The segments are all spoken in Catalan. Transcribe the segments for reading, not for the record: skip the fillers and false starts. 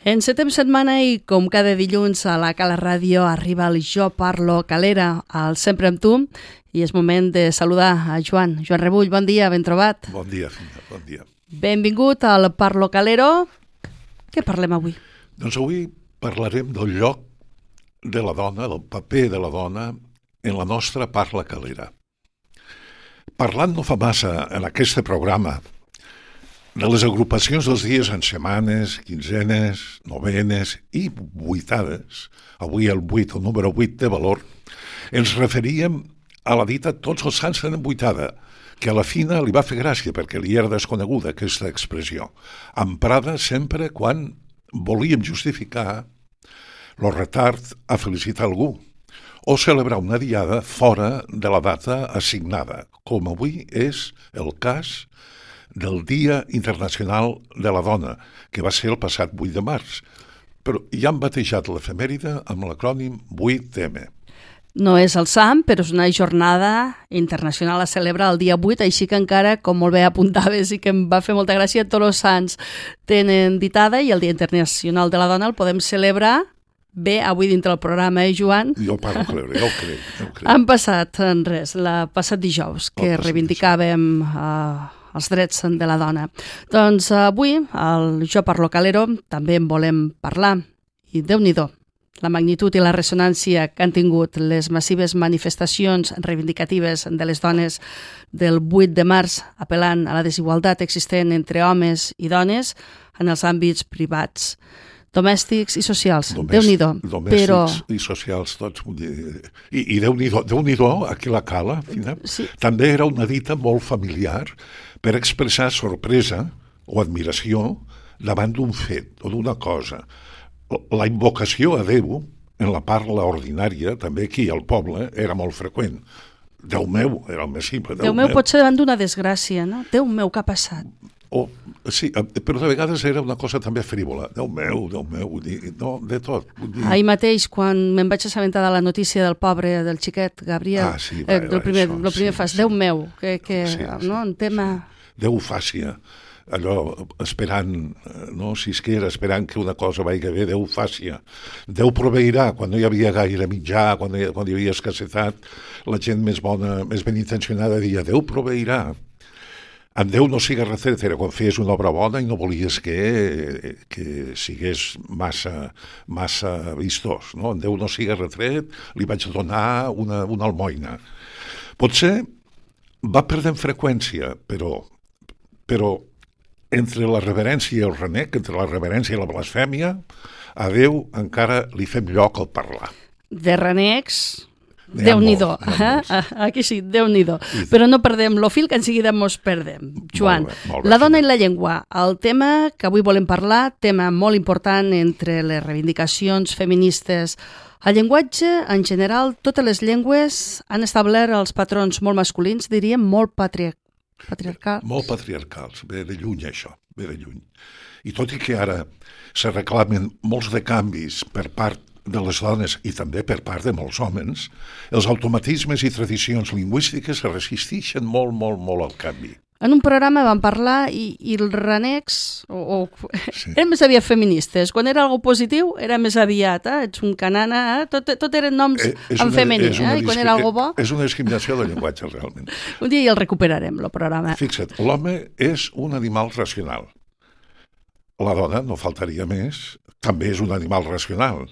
Encetem setmana i, com cada dilluns a la Cala Ràdio, arriba el Jo Parlo Calera, al Sempre amb tu, i és moment de saludar a Joan Rebull. Bon dia, ben trobat. Bon dia, Fina, bon dia. Benvingut al Parlo Calero. Què parlem avui? Doncs avui parlarem del lloc de la dona, del paper de la dona en la nostra parla calera. Parlant no fa massa en aquest programa de les agrupacions dels dies en setmanes, quinzenes, novenes i vuitades, avui el 8, el número 8 de valor, ens referíem a la dita tots els sants tenen vuitada, que a la Fina li va fer gràcia perquè li era desconeguda aquesta expressió, emprada sempre quan volíem justificar el retard a felicitar algú o celebrar una diada fora de la data assignada, com avui és el cas del Dia Internacional de la Dona, que va ser el passat 8 de març. Però ja han batejat l'efemèride amb l'acrònim 8M. No és el sant, però és una jornada internacional a celebrar el dia 8, així que encara, com molt bé apuntaves i que em va fer molta gràcia, tots els sants tenen ditada i el Dia Internacional de la Dona el podem celebrar bé avui dintre del programa, Joan? Jo parlo creure, jo ho crec. Han passat en res, passat dijous, que reivindicàvem els drets de la dona. Doncs avui, al Jo Parlo Calero, també en volem parlar. I Déu-n'hi-do, la magnitud i la ressonància que han tingut les massives manifestacions reivindicatives de les dones del 8 de març, apel·lant a la desigualtat existent entre homes i dones en els àmbits privats, domèstics i socials. Déu-n'hi-do. Domèstics i socials, tots. I Déu-n'hi-do, aquí la Cala, Fina, sí. També era una dita molt familiar per expressar sorpresa o admiració davant d'un fet o d'una cosa. La invocació a Déu, en la parla ordinària, també aquí al poble, era molt freqüent. Déu meu, era el més simple. Déu meu pot ser davant d'una desgràcia, no? Déu meu, què ha passat? Sí, però de vegades era una cosa també frívola. Déu meu, no, de tot. Ahir mateix, quan me'n vaig assabentar de la notícia del pobre, del xiquet, Gabriel, el primer fas, Déu meu, no, en tema... Déu-fàcia, allò esperant, no, si es que era esperant que una cosa vagi bé, Déu-fàcia. Déu proveirà, quan no hi havia gaire mitjà, quan hi havia escassetat, la gent més bona, més ben intencionada deia Déu proveirà. Amb Déu no sigues retret, era quan feies una obra bona i no volies que sigués massa vistós, no? Amb Déu no sigues retret, li vaig donar una almoina. Potser va perdent freqüència, però entre la reverència i el renec, entre la reverència i la blasfèmia, a Déu encara li fem lloc al parlar. De renecs... Déu-n'hi-do, aquí sí, Déu-n'hi-do. Però no perdem lo fil, que en seguida mos perdem. Joan, molt bé, la dona i la llengua, el tema que avui volem parlar, tema molt important entre les reivindicacions feministes. El llenguatge, en general, totes les llengües han establert els patrons molt masculins, diríem molt patriarcals. Molt patriarcals, ve de lluny això, ve de lluny. I tot i que ara se reclamen molts de canvis per part de les dones i també per part de molts homes, els automatismes i tradicions lingüístiques se resisteixen molt al canvi. En un programa vam parlar i els renecs eren més aviat feministes. Quan era algo positiu era més aviat, ets un canana, tot eren noms en femení, i quan era algo bo... És una discriminació del llenguatge, realment. Un dia ja el recuperarem, el programa. Fixa't, l'home és un animal racional. La dona, no faltaria més, també és un animal racional.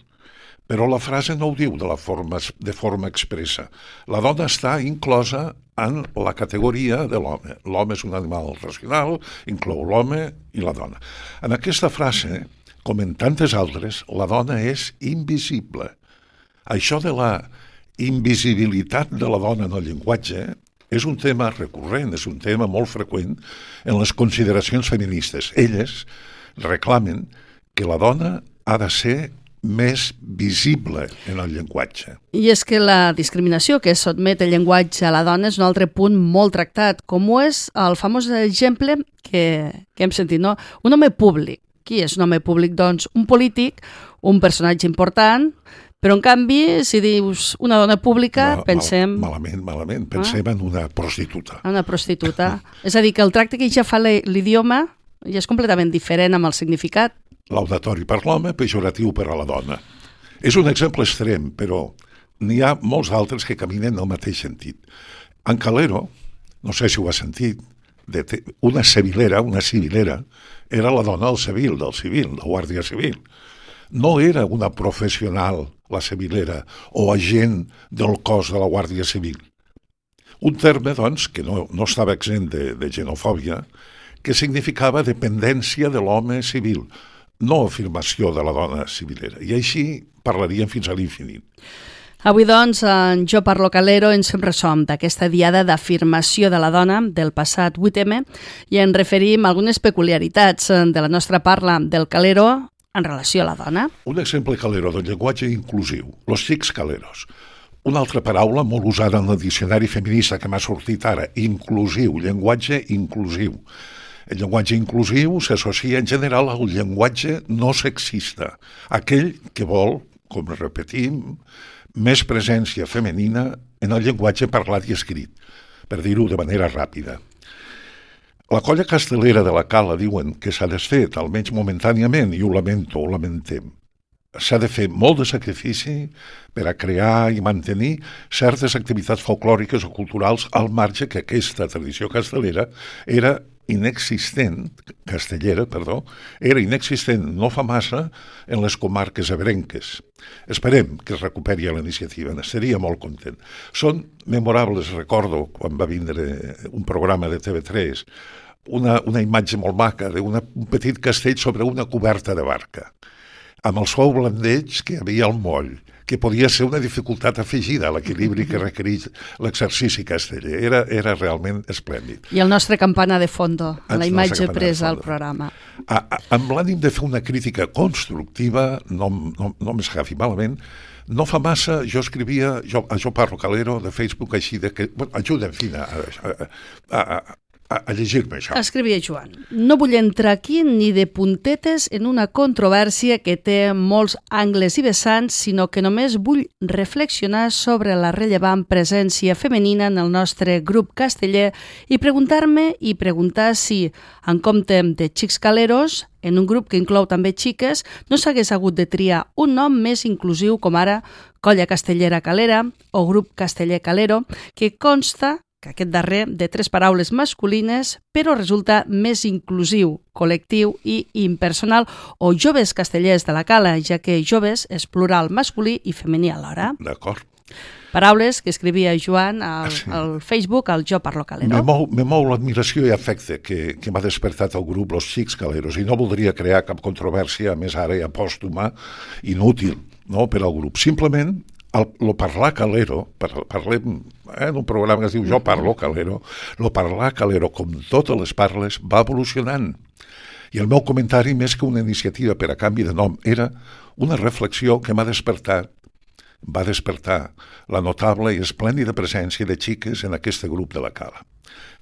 Però la frase no ho diu de forma expressa. La dona està inclosa en la categoria de l'home. L'home és un animal racional, inclou l'home i la dona. En aquesta frase, com en tantes altres, la dona és invisible. Això de la invisibilitat de la dona en el llenguatge és un tema recurrent, és un tema molt freqüent en les consideracions feministes. Elles reclamen que la dona ha de ser més visible en el llenguatge. I és que la discriminació que sotmet el llenguatge a la dona és un altre punt molt tractat, com ho és el famós exemple que hem sentit, no? Un home públic. Qui és un home públic? Doncs un polític, un personatge important, però en canvi, si dius una dona pública, pensem... Malament. Pensem en una prostituta. Una prostituta. És a dir, que el tracte que ja fa l'idioma ja és completament diferent amb el significat. laudatori per l'home, pejoratiu per a la dona. És un exemple extrem, però n'hi ha molts altres que caminen en el mateix sentit. En Calero, no sé si ho has sentit, una civilera, era la dona del civil, la Guàrdia Civil. No era una professional, la civilera, o agent del cos de la Guàrdia Civil. Un terme, doncs, que no estava exempt de xenofòbia, que significava dependència de l'home civil, no afirmació de la dona civilera. I així parlaríem fins a l'infinit. Avui, doncs, en Jo Parlo Calero ens fem ressò d'aquesta diada d'afirmació de la dona del passat 8M i en referim a algunes peculiaritats de la nostra parla del calero en relació a la dona. Un exemple calero del llenguatge inclusiu, los xics caleros. Una altra paraula molt usada en el diccionari feminista que m'ha sortit ara, inclusiu, llenguatge inclusiu. El llenguatge inclusiu s'associa en general al llenguatge no sexista, aquell que vol, com repetim, més presència femenina en el llenguatge parlat i escrit, per dir-ho de manera ràpida. La colla castellera de la Cala diuen que s'ha desfet, almenys momentàniament, i ho lamento, ho lamentem. S'ha de fer molt de sacrifici per a crear i mantenir certes activitats folclòriques o culturals al marge que aquesta tradició castellera era inexistent no fa massa en les comarques ebrenques. Esperem que es recuperi la iniciativa, n'estaria molt content. Són memorables, recordo, quan va vindre un programa de TV3, una imatge molt maca d'un petit castell sobre una coberta de barca, amb el suau blandeig que hi havia al moll, que podia ser una dificultat afegida a l'equilibri que requereix l'exercici casteller. Era realment esplèndid. I el nostre campana de fondo, la imatge presa al programa. Amb l'ànim de fer una crítica constructiva, no m'escafi malament, no fa massa jo escrivia, Jo Parlo Calero, de Facebook, així de que... Ajuda'm, Fina, a llegir-me això. Escrivia Joan: no vull entrar aquí ni de puntetes en una controvèrsia que té molts angles i vessants, sinó que només vull reflexionar sobre la rellevant presència femenina en el nostre grup casteller i preguntar si, en compte de xics caleros, en un grup que inclou també xiques, no s'hagués hagut de triar un nom més inclusiu com ara Colla Castellera Calera o Grup Casteller Calero, que consta que aquest darrer de 3 paraules masculines, però resulta més inclusiu, col·lectiu i impersonal, o Joves Castellers de la Cala, ja que joves és plural masculí i femení alhora. D'acord. Paraules que escrivia Joan al Facebook, al Jo Parlo Calero. Me mou l'admiració i afecte que m'ha despertat el grup Los Xics Caleros, i no voldria crear cap controvèrsia, a més ara ja pòstuma, inútil, no, per al grup. Simplement, lo parlar calero, parlem en un programa que es diu Jo Parlo Calero, lo parlar calero, com totes les parles, va evolucionant. I el meu comentari, més que una iniciativa per a canvi de nom, era una reflexió que va despertar la notable i esplèndida presència de xiques en aquest grup de la Cala.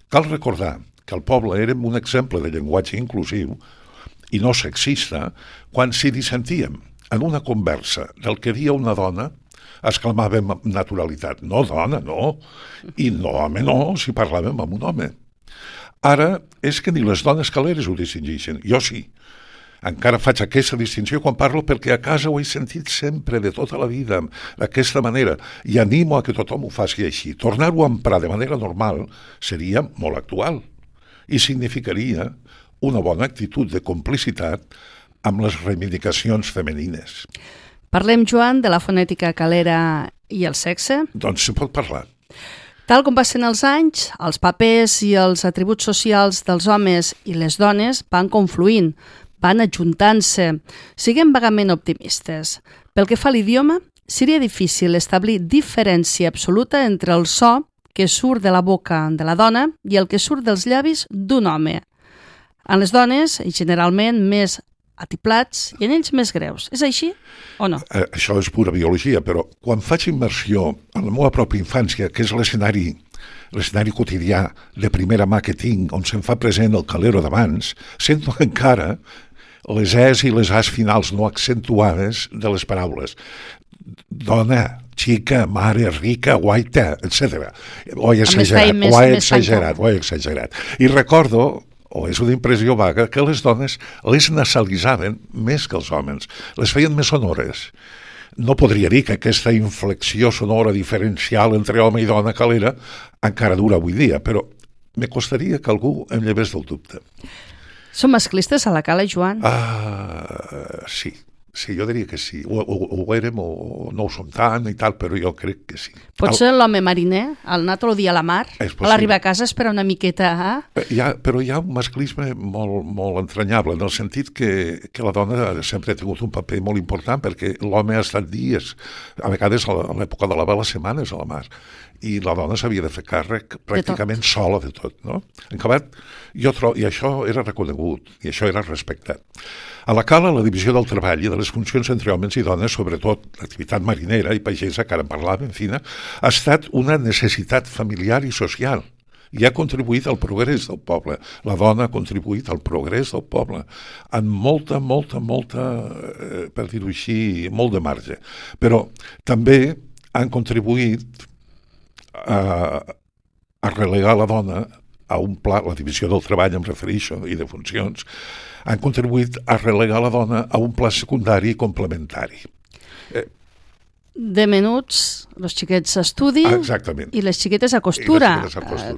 Cal recordar que al poble érem un exemple de llenguatge inclusiu i no sexista quan s'hi dissentíem en una conversa del que dia una dona, exclamàvem amb naturalitat: no, dona, no, i no, home, no, si parlàvem amb un home. Ara és que ni les dones caleres ho distingeixen, jo sí. Encara faig aquesta distinció quan parlo perquè a casa ho he sentit sempre, de tota la vida, d'aquesta manera, i animo a que tothom ho faci així. Tornar-ho a emprar de manera normal seria molt actual i significaria una bona actitud de complicitat amb les reivindicacions femenines. Parlem, Joan, de la fonètica calera i el sexe? Doncs se pot parlar. Tal com passen els anys, els papers i els atributs socials dels homes i les dones van confluint, van ajuntant-se. Siguem vagament optimistes. Pel que fa a l'idioma, seria difícil establir diferència absoluta entre el so que surt de la boca de la dona i el que surt dels llavis d'un home. En les dones, generalment, més atiplats i en ells més greus. És així o no? Això és pura biologia, però quan faig immersió en la meva pròpia infància, que és l'escenari quotidià de primera mà que tinc, on se'm fa present el calero d'abans, sento encara les es i les as finals no accentuades de les paraules. Dona, xica, mare, rica, guaita, etc. Ho he exagerat. I recordo o és una impressió vaga, que les dones les nasalitzaven més que els homes, les feien més sonores. No podria dir que aquesta inflexió sonora diferencial entre home i dona calera encara dura avui dia, però me costaria que algú em llevés del dubte. Són masclistes a la cala, Joan? Sí. Sí, jo diria que sí. Ho érem o no ho som tant i tal, però jo crec que sí. Potser l'home mariner, el anar tot el dia a la mar, a l'arribar a casa espera una miqueta... Però hi ha un masclisme molt entranyable, en el sentit que la dona sempre ha tingut un paper molt important, perquè l'home ha estat dies, a vegades a l'època de la vela, setmanes a la mar, i la dona s'havia de fer càrrec pràcticament sola de tot, no? En acabat, i això era reconegut, i això era respectat. A la cala, la divisió del treball i de les funcions entre homes i dones, sobretot l'activitat marinera i pagesa, que ara en parlàvem, ha estat una necessitat familiar i social i ha contribuït al progrés del poble. La dona ha contribuït al progrés del poble en molta, per dir-ho així, molt de marge. Però també han contribuït a relegar la dona a un pla, la divisió del treball em refereixo, i de funcions, han contribuït a relegar la dona a un pla secundari i complementari. De menuts, els xiquets a estudi i les xiquetes a costura.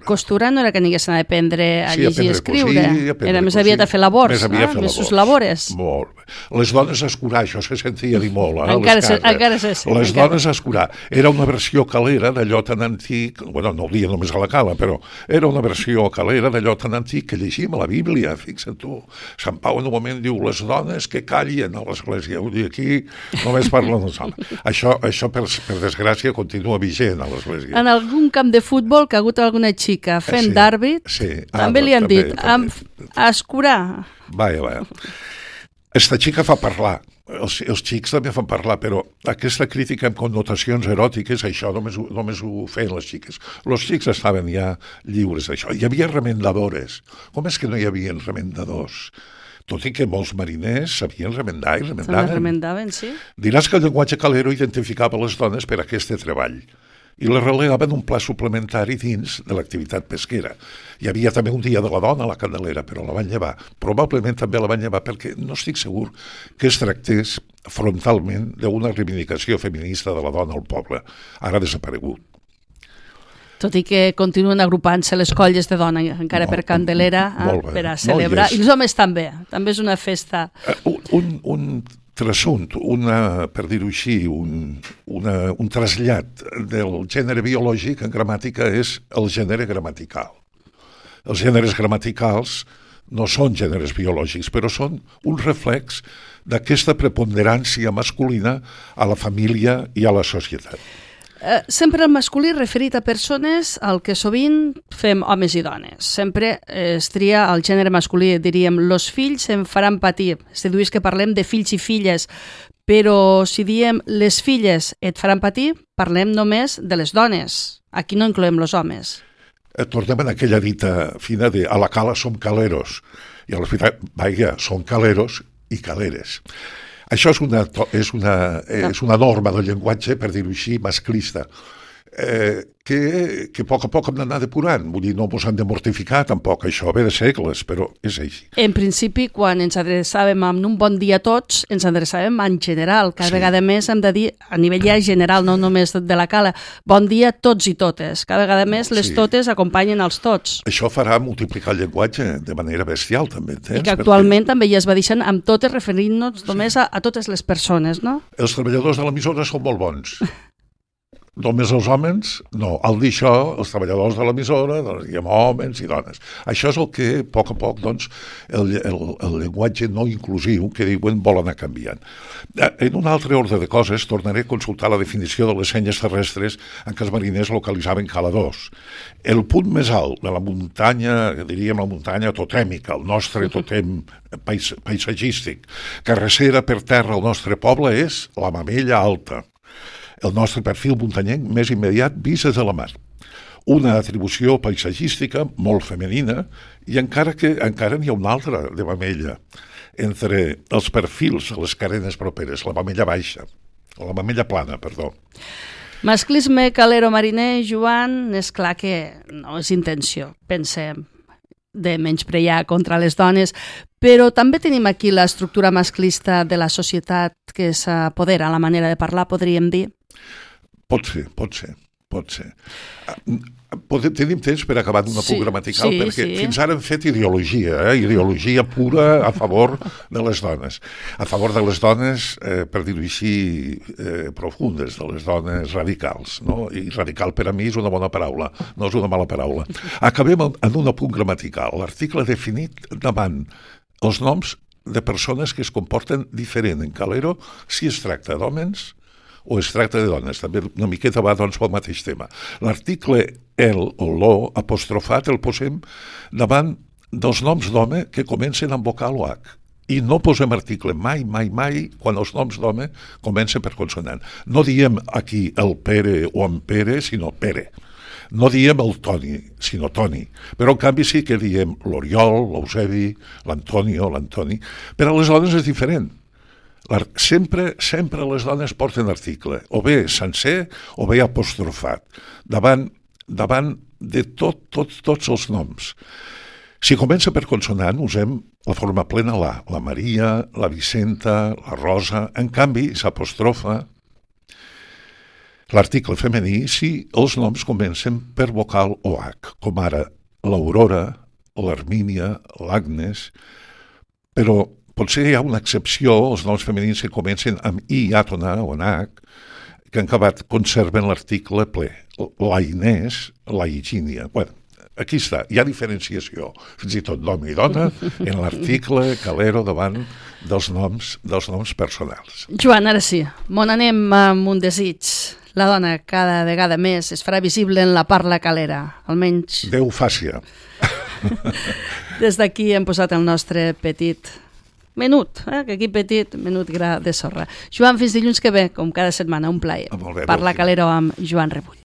Costura no era que n'haguessin d'aprendre a llegir i escriure, era més aviat a fer labors, més sus labores. Molt bé. Les dones a escurar, això se sentia dir molt, encara se sent. Les dones a escurar. Era una versió calera d'allò tan antic, bueno, no ho dia només a la cala, però era una versió calera d'allò tan antic que llegim a la Bíblia, fixa't tu. Sant Pau en un moment diu, les dones que callien a l'església, vull dir, aquí només parlen els homes. Això per desgràcia, continua vigent a l'església. En algun camp de futbol que ha hagut alguna xica fent d'àrbit, també li han dit, a escurar. Vaja. Esta xica fa parlar, els xics també fan parlar, però aquesta crítica amb connotacions eròtiques, això només ho feien les xiques. Els xics estaven ja lliures d'això. Hi havia remendadores. Com és que no hi havia remendadors? Tot i que molts mariners sabien remendar i remendaven, sí. Diràs que el llenguatge calero identificava les dones per a aquest treball i les relegaven un pla suplementari dins de l'activitat pesquera. Hi havia també un dia de la dona a la Candelera, però la van llevar. Probablement també la van llevar perquè no estic segur que es tractés frontalment d'una reivindicació feminista de la dona al poble. Ara ha desaparegut. Tot i que continuen agrupant-se les colles de dona encara per Candelera per a celebrar. I els homes també. També és una festa. Un trassunt, per dir-ho així, un trasllat del gènere biològic en gramàtica és el gènere gramatical. Els gèneres gramaticals no són gèneres biològics, però són un reflex d'aquesta preponderància masculina a la família i a la societat. Sempre el masculí referit a persones al que sovint fem homes i dones. Sempre es tria el gènere masculí, diríem, los fills em faran patir. Es deduís que parlem de fills i filles, però si diem les filles et faran patir, parlem només de les dones. Aquí no incloem los homes. Tornem en aquella dita fina de a la cala som caleros. I a l'hospital, vaja, són caleros i caleres. Això és una norma del llenguatge, per dir-ho així, masclista, que a poc hem d'anar depurant. Vull dir, no ens hem de mortificar tampoc, això ve de segles, però és així. En principi, quan ens adreçàvem amb un bon dia a tots, ens adreçàvem en general. Cada vegada més hem de dir, a nivell ja general, no només de la cala, bon dia a tots i totes. Cada vegada més les totes acompanyen els tots. Això farà multiplicar el llenguatge de manera bestial, també, entens? I que actualment també ja es va deixant amb totes referint-nos només a totes les persones, no? Els treballadors de l'emissora són molt bons. Només els homes? No. Al dir això, els treballadors de l'emissora, doncs, diguem homes i dones. Això és el que, a poc, doncs, el llenguatge no inclusiu que diuen vol anar canviant. En un altre ordre de coses, tornaré a consultar la definició de les senyes terrestres en què els mariners localitzaven caladors. El punt més alt de la muntanya, diríem la muntanya totèmica, el nostre totèm paisatgístic, carrecera per terra al nostre poble és la Mamella Alta. El nostre perfil muntanyenc més immediat vist des de la mar. Una atribució paisatgística molt femenina i encara n'hi ha una altra de Mamella entre els perfils de les carenes properes, la Mamella baixa, o la Mamella plana, perdó. Masclisme calero mariner, Joan, és clar que no és intenció, pensem. de menysprear contra les dones, però també tenim aquí l'estructura masclista de la societat que s'apodera, la manera de parlar, podríem dir? Pot ser. Tenim temps per acabar d'una punt gramatical, perquè fins ara hem fet ideologia pura a favor de les dones. A favor de les dones, per dir-ho així, profundes, de les dones radicals. No? I radical per a mi és una bona paraula, no és una mala paraula. Acabem en un apunt gramatical. L'article definit davant els noms de persones que es comporten diferent en Calero si es tracta d'homes o es tracta de dones, també una miqueta va doncs pel mateix tema. L'article el o lo apostrofat el posem davant dels noms d'home que comencen amb vocal o H. I no posem article mai quan els noms d'home comencen per consonant. No diem aquí el Pere o en Pere, sinó Pere. No diem el Toni, sinó Toni. Però en canvi sí que diem l'Oriol, l'Eusebi, l'Antonio, l'Antoni. Per a les dones és diferent. Sempre les dones porten article, o bé sencer o bé apostrofat, davant de tots els noms. Si comença per consonant, usem la forma plena la Maria, la Vicenta, la Rosa. En canvi, s'apostrofa l'article femení si els noms comencen per vocal o H, com ara l'Aurora, l'Hermínia, l'Agnes, però potser hi ha una excepció, els noms femenins que comencen amb I àtona o en H, que en acabat conserven l'article ple. La Inés, la Higínia. Bueno, aquí està, hi ha diferenciació, fins i tot d'home i dona, en l'article Calero davant dels noms personals. Joan, ara sí, m'on anem amb un desig. La dona cada vegada més es farà visible en la parla calera, almenys... Déu fàcia. Des d'aquí hem posat el nostre petit menut, que aquí petit, menut gra de sorra. Joan, fins dilluns que ve, com cada setmana, un plaer. Molt bé, Parla Calero amb Joan Rebull.